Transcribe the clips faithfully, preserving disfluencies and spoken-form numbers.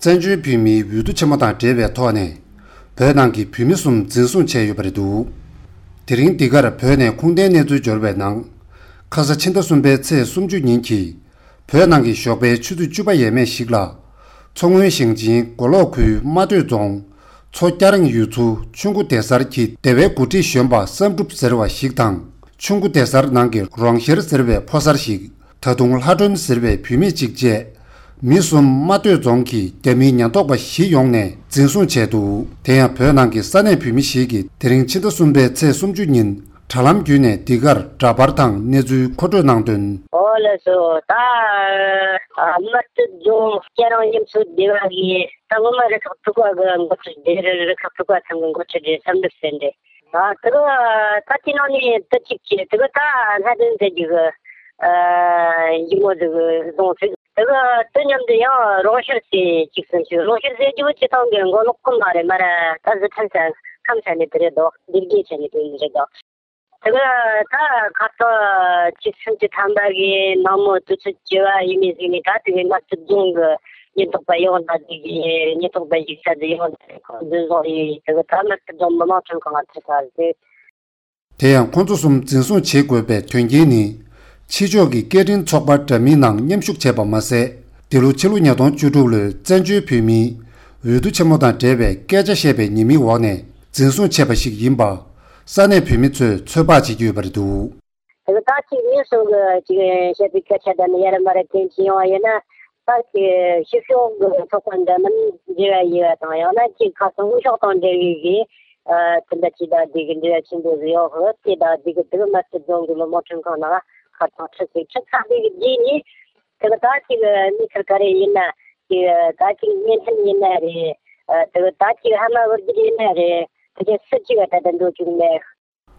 བཙན་བྱོལ་བོད་མིའི་འོས་བསྡུ་ཆེན་མོ་དང་འབྲེལ་བའི་ཐོག་ནས། བོད་ནང་གི་བོད་མི་གསུམ་འཛིན་བཟུང་བྱས་ཡོད་པ་རེད་འདུག་དེ་རིང་འདི་གར་བོད་ནས་ཁུངས་ལྡན་གནས་ཚུལ་འབྱོར་བའི་ནང་། ཁ་ས་ཕྱི་ཟླ་གསུམ་པའི་ཚེས་སུམ་ཅུ་ཉིན་གྱི། བོད་ནང་གི་ཞོགས་པའི་ཆུ་ཚོད་བཅུ་པ་ཡས་མས་ཤིག་ལ། མཚོ་སྔོན་ཞིང་ཆེན་མགོ་ལོག་ཁུལ་རྨ་སྟོད་རྫོང་། མཚོ་སྐྱ་རེངས་ཡུལ་ཚོ་ཆུ་མགོ་སྡེ་གསར་གྱི་སྡེ་བའི་འགོ་ཁྲིད་གཞོན་པ་བསམ་གྲུབ་ཟེར་བ་ཞིག་དང་། ཆུ་མགོ་སྡེ་གསར་ནང་གི་རོང་ཤེར་ཟེར་བའི་ཕོ་གསར་ཞིག་ད་དུང་ལྷ་སྒྲོན་ཟེར་བའི་བུད་མེད་ཅིག་བཅས། མི་གསུམ་རྨ་སྟོད་རྫོང་གི་རྒྱ་མིའི་ཉེན་རྟོག་པ་བཞི་ཡོང་ནས་འཛིན་བཟུང་བྱས་འདུག་དེ་ཡང་བོད་ནང་གི་ས་གནས་བོད་མི་ཞིག་གིས་དེ་རིང་ཕྱི་ཟླ་གསུམ་པའི་ཚེས་སུམ་ཅུ་ཉིན་དྲ་ལམ་བརྒྱུད་ནས་འདི་གར་འདྲ་པར་དང་གནས་ཚུལ་མཁོ་སྤྲོད་གནང་དོན། ཨོ་ལགས་སོ། ད་རྨ་སྟོད་རྫོང་སྐྱ་རེངས་ཡུལ་ཚོའི་སྡེ་བ་གི་ད་སྔོན་མ་རུ་ཁག་དྲུག་པ་གི་འགོ་ཁྲིད་དེ། རུ་ཁག་དྲུག་པ་ཚང་གི་འགོ་ཁྲིད་དེ་བསམ་གྲུབ་ཟེར་འདི། ཨ་དེ་གི་ད་དེ་ནང་ནས་དེ་གཅིག་བྱས། དེ་གི་ད་ལྷ་སྒྲོན་ཟེར་རྒྱུ་གི་ཨ་ཡུ་མོ་ཟིག་བཟུང་ཚུལ། དེ་གི་དེ་མཉམ་དུ་ཡང་རོང་ཤེར་ཟེར་གཅིག་སུ་ཞིག་རོང་ཤེར་ཟེར་རྒྱུ་བོ་སྤྱི་བཏང་གི་མགོ་ལོག་ཁུལ་མ་རེད། མ་ར་ད་གཟི་ཁྲ་ས་ཁམས་ས་ནས་དེ་རེད་དོ། སྡེ་དགེ་ཆ་ནས་དེ་རེད་དོ། དེ་གི་ད་ཁ་སང་ཕྱི་ཚེས་བཅུ་ཐམ་པ་གི་ནངས་མོ་དུས་ཚོད་བཅུ་པ་ཡས་མས་ཟིག་ནས་ད་དེ་གི་རྨ་སྟོད་རྫོང་གི་ཉེན་རྟོག་པ་ཡོང་ད་དེ་གི་ཉེན་རྟོག་པ་ཞིག་ས་དེ་ཡོང་ད་ཁོང་འཛིན་བཟུང་ཡས། དེ་གི་ད་རྨ་སྟོད་རྫོང་མི་དམངས་ཁྲིམས་ཁང་ལ་ཁྲིད་ཚར་ཟིག་དེ་ཡང་ཁོང་ཚོ་གསུམ་འཛིན་བཟུང་བྱེད་དགོས་པའི་དོན་རྐྱེན་ནི། ཕྱི་ཕྱོགས་ཀྱི་སྐད་འཕྲིན་ཚོགས་པ་འདྲ་མིན་ནང་མཉམ་ཞུགས་བྱས་པ་མ་ཟད། འདི་ལོ་ཕྱི་ལོ་ཉིས་སྟོང་བཅུ་དྲུག་ལོའི་བཙན་བྱོལ་བོད་མིའི་འོས་བསྡུ་ཆེན་མོ་དང་འབྲེལ་བའི་སྐད་ཆ་བཤད་པའི་ཉེས་མིང་འོག་ནས་འཛིན་བཟུང་བྱས་པ་ཞིག་ཡིན་པ། ས་གནས་བོད་མི་ཚོས་ཚོད་དཔག་བྱེད་ཀྱི་ཡོད་པ་རེད་འདུག་དེ་གི་ད་ཅིག་མི་གསུམ་གི་ཅིག་བཤད་པའི་སྐད་ཆ་དེ་ནི་ཡར་མར་འཐེན་གྱི་ཡོང་བ་ཡིན་ན། ད་ཅིག་ཕྱི་ཕྱོགས་ཀྱི་ཚོགས་པ་འདྲ་མིན་འབྲེལ་བ་ཡོད་པ་དང་། ཡང་ན་ཅིག་ཁ་སང་དབུས་ཕྱོགས་དང་འབྲེལ་བའི་གི་ཨ་དེ་འདྲ་ཅིག་དང་དེ་གི་འབྲེལ་བ་ཆེན་པོ་ཟིག་ཡོད་ཧོ། དེ་དང་དེ་གི་དེ་གི་རྨ་སྟོད་རྫོང་གི་མི་དམངས་ཁྲིམས་ཁང་ནང་ཁ་སང་ཁྲིད་ཟིག་ཁྲིད་ཚར་དེ་གི་རྗེས་ནས། དེ་གི་ད་ཅིག་མི་ཁེར་ཁ་རེ་ཡིན་ན། ཅིག་ད་ཅིག་བརྙན་འཕྲིན་ཡིན་ན་རེད། ཨ་དེ་གི་ད་ཅིག་ཧ་མ་གོ་རྒྱུ་ཡིན་ན་རེད། དེ་གི་སུ་གཅིག་ག་ད་ལྟ་འགྲོ་བཅུག་མེད།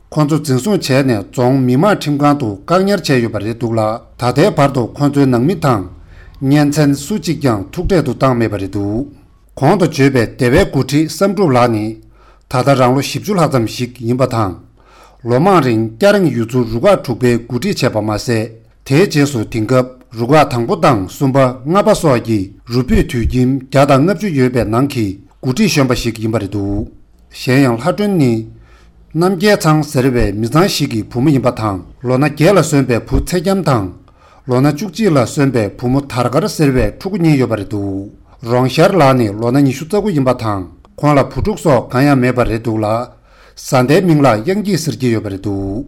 ཁོང་ཚོ་འཛིན་བཟུང་བྱས་ནས་རྫོང་མི་དམངས་ཁྲིམས་ཁང་དུ་བཀག་ཉར་བྱས་ཡོད་པ་རེད་འདུག་ལ། ད་ལྟའི་བར་དུ་ཁོང་ཚོའི་ནང་མི་དང་གཉེན་ཚན་སུ་གཅིག་ཀྱང་ཐུག་འཕྲད་དུ་བཏང་མེད་པ་རེད་འདུག་གོང་དུ་བརྗོད་པའི་སྡེ་བའི་འགོ་ཁྲིད་བསམ་གྲུབ་ལགས་ནི། ད་ལྟ་རང་ལོ་བཞི་བཅུ་ལྷག་ཙམ་ཞིག་ཡིན་པ་དང་། ལོ་མང་རིང་སྐྱ་རེངས་ཡུལ་ཚོ་རུ་ཁག་དྲུག་པའི་འགོ་ཁྲིད་བྱས་པ་མ་ཟད། དེའི་རྗེས་སུ་དེང་སྐབས་རུ་ཁག་དང་པོ་དང་གསུམ་པ་ལྔ་པ་སོགས་ཀྱི་རུ་སྤུས་དུད་ཁྱིམ་བརྒྱ་དང་ལྔ་བཅུ་ཡོད་པའི་ནང་གི་འགོ་ཁྲིད་གཞོན་པ་ཞིག་ཡིན་པ་རེད་འདུག་གཞན་ཡང་ལྷ་སྒྲོན་ནི། རྣམ་རྒྱལ་ཚང་ཟེར་བའི་མི་ཚང་ཞིག་གི་བུ་མོ་ཡིན་པ་དང་། ལོ་ན་བརྒྱད་ལ་སོན་པའི་བུ་ཚེ་རྒྱམ་དང་། ལོ་ན་བཅུ་གཅིག་ལ་སོན་པའི་བུ་མོ་དར་དཀར་ཟེར་བའི་ཕྲུ་གུ་གཉིས་ཡོད་པ་རེད་འདུག་རོང་ཤར་ལགས་ནི་ལོ་ན་ཉི་ཤུ་རྩ་དགུ་ཡིན་པ་དང་། ཁོང་ལ་བུ་ཕྲུག་སོགས་གང་ཡང་མེད་པ་རེད་འདུག་ལ། བཟའ་ཟླའི་མིང་ལ་དབྱངས་སྐྱིད་ཟེར་གྱི་ཡོད་པ་རེད་འདུག